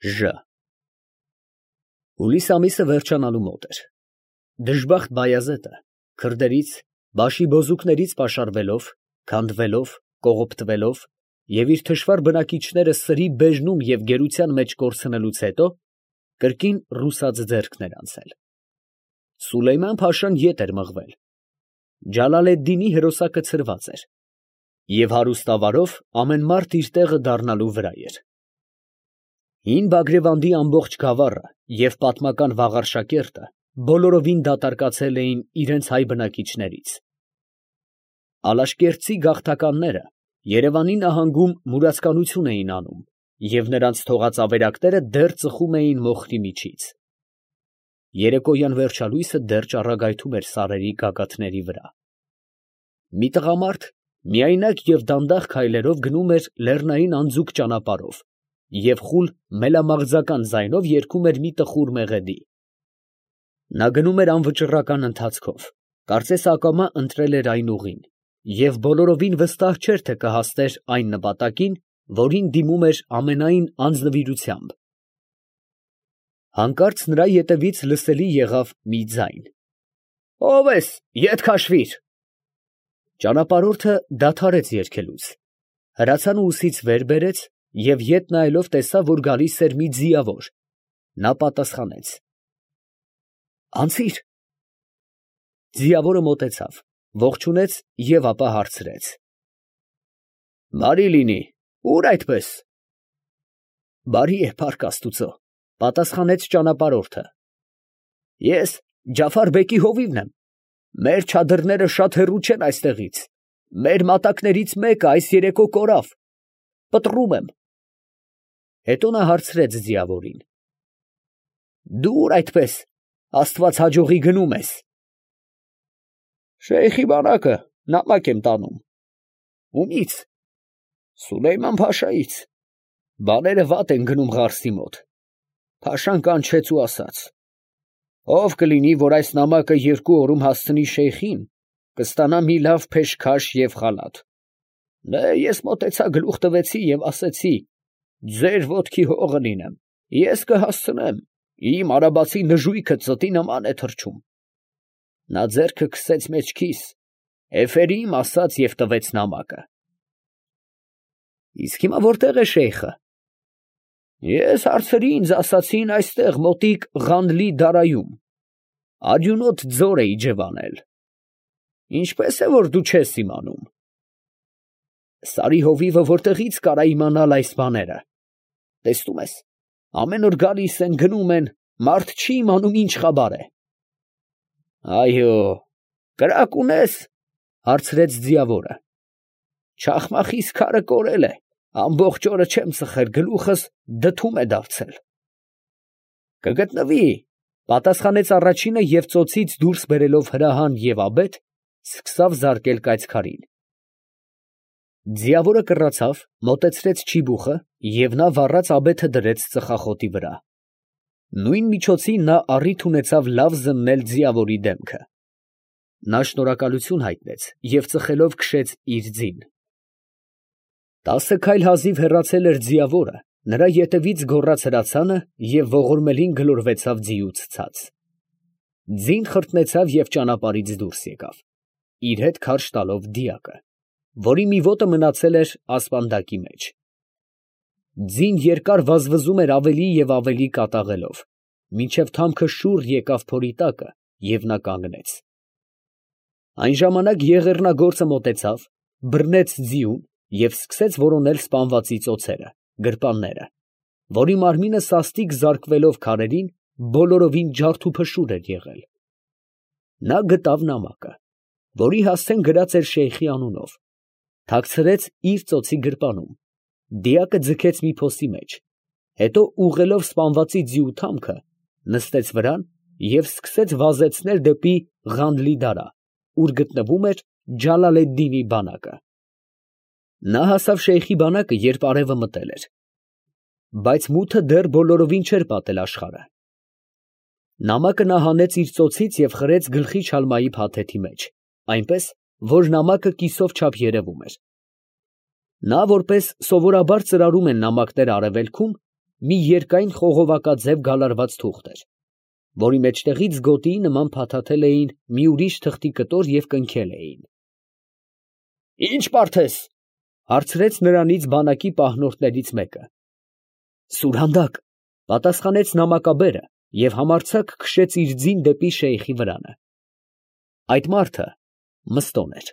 Ժ Հուլիս ամիսը վերջանալու մոտ էր։ Դժբախտ Բայազեդը քրդերից, բաշիբոզուկներից պաշարվելով, քանդվելով, կողոպտվելով և իր թշվառ բնակիչները սրի բեժնում և գերության մեջ կորցնելուց հետո, կրկին ռուսաց ձեռքն էր անցել։ Սուլեյման֊փաշան ետ էր մղվել, Ջալալեդդինի հրոսակը ցրված էր, և հարուստ ավարով ամեն մարդ իր տեղը դառնալու վրա էր։ Հին Բագրևանդի ամբողջ գավառը և պատմական Վաղարշակերտը բոլորովին դատարկացել էին իրանց հայ բնակիչներից։ Ալաշկերտցի գաղթականները Երևանի նահանգում մուրացկանություն էին անում, և նրանց թողած ավերակները դեռ ծխում էին մոխիրի միջից։ Երեկոյան վերջալույսը դեռ ճառագայթում էր սարերի գագաթների վրա։ Մի տղամարդ միայնակ և դանդաղ քայլերով գնում էր լեռնային անձուկ ճանապարհով և խուլ մելամաղձական ձայնով երգում էր մի տխուր մեղեդի։ Նա գնում էր անվճռական ընթացքով, կարծես ակամա ընտրել էր այն ուղին և բոլորովին վստահ չէր, թե կհասներ այն նպատակին, որին դիմում էր ամենայն անձնվիրությամբ։ Հանկարծ նրա ետևից լսելի եղավ մի ձայն. «Ո՞վ ես, ետ քաշվի՛ր»։ Ճանապարհորդը դադարեց երգելուց, հրացանը ուսից վեր բերեց և ետ նայելով տեսավ, որ գալիս էր մի ձիավոր։ Նա պատասխանեց. «Անցի՛ր»։ Ձիավորը մոտեցավ, ողջունեց և ապա հարցրեց. «Բարի լինի, ո՞ւր այդպես»։ «Բարի է, փառք աստուծո», պատասխանեց ճանապարհորդը։ «Ես Ջաֆար֊բեկի հովիվն եմ, մեր չադրները շատ հեռու չեն այստեղից, մեր մատակներից մեկը այս երեկո կորավ, պտռում եմ»։ Հետո նա հարցրեց ձիավորին. «Դու ո՞ւր այդպես աստված հաջողի գնում ես»։ «Շեյխի բանակը նամակ եմ տանում»։ «Ումի՞ց»։ «Սուլեյման֊փաշայից, բաները վատ են գնում Ղարսի մոտ»։ Փաշան կանչեց ու ասաց. «Ով կլինի, որ այս նամակը 2 օրում հասցնի շեյխին, կստանա մի լավ փեշքաշ և խալաթ»։ Ես մոտեցա, գլուխ տվեցի և ասեցի. «Ձեր ոտքի հողը լինեմ, ես կհասցնեմ, իմ արաբացի նժույգը ծտի նման է թռչում»։ Նա ձեռքը քսեց մեջքիս, էֆերիմ ասաց և տվեց նամակը։ «Իսկ հիմա որտե՞ղ է շեյխը»։ «Ես հարցրի, ինձ ասացին այստեղ մոտիկ Ղանլի֊Դարայում, արյունոտ ձոր է իջևանել»։ «Ինչպես է, որ դու չես իմանում»։ «Սարի հովիվը որտեղի՞ց կարա իմանալ այս բաները։ Տեսնում ես, ամեն օր գալիս են, գնում են, մարդ չի իմանում ինչ խաբար է»։ «Այո, կրակ ունե՞ս»։ հարցրեց ձիավորը։ «Չախմախիս քարը կորել է, ամբողջ օրը չեմ ծխել, գլուխս դդում է դարձել»։ «Կգտնվի», պատասխանեց առաջինը և ծոցից դուրս բերելով հրահան և աբեթ, սկսավ զարկել կայծքարին։ Ձիավորը կռացավ, մոտեցրեց չիբուխը և նա վառած աբեթը դրեց ծխախոտի վրա։ Նույն միջոցին նա առիթ ունեցավ լավ զննել ձիավորի դեմքը։ Նա շնորհակալություն հայտնեց և ծխելով քշեց իր ձին։ 10 քայլ հազիվ հեռացել էր ձիավորը, նրա ետևից գոռաց հրացանը և ողորմելին գլորվեցավ ձիուց ցած։ Ձին խրտնեցավ և ճանապարհից դուրս եկավ, իր հետ քարշ տալով դիակը, որի մի ոտը մնացել էր ասպանդակի մեջ։ Ձին երկար վազվզում էր ավելի և ավելի կատաղելով, մինչև թամքը շուռ եկավ փորի տակը, և նա կանգնեց։ Այն ժամանակ եղեռնագործը մոտեցավ, բռնեց ձիուն և սկսեց որոնել սպանվածի ծոցերը, գրպանները, որի մարմինը սաստիկ զարկվելով քարերին, բոլորովին ջարդուփշուր էր եղել։ Նա գտավ նամակը, որի հասցեն գրած էր շեյխի անունով, թաքցրեց իր ծոցի գրպանում, դիակը ձգեց մի փոսի մեջ, հետո ուղղելով սպանվածի ձիու թամքը, նստեց վրան և սկսեց վազեցնել դեպի Ղանլի֊Դարա, ուր գտնվում էր Ջալալեդդինի բանակը։ Նա հասավ շեյխի բանակը, երբ արևը մտել էր, բայց մութը դեռ բոլորովին չէր պատել աշխարհը։ Նամակը նա հանեց իր ծոցից և խրեց գլխի չալմայի փաթեթի մեջ, այնպես, որ նամակը կիսով չափ երևում էր։ Նա, որպես սովորաբար ծրարում են նամակները արևելքում, մի երկայն խողովակաձև գալարված թուղթ էր, որի մեջտեղից գոտիի նման փաթաթել էին մի ուրիշ թղթի կտոր և կնքել էին։ ֊ Ի՞նչ մարդ ես, ֊ հարցրեց նրանից բանակի պահնորդներից մեկը։ ֊ Սուրհանդակ, ֊ պատասխանեց նամակաբերը և համարձակ քշեց իր ձին դեպի շեյխի վրանը։ Այդ մարդը Մըստոն էր։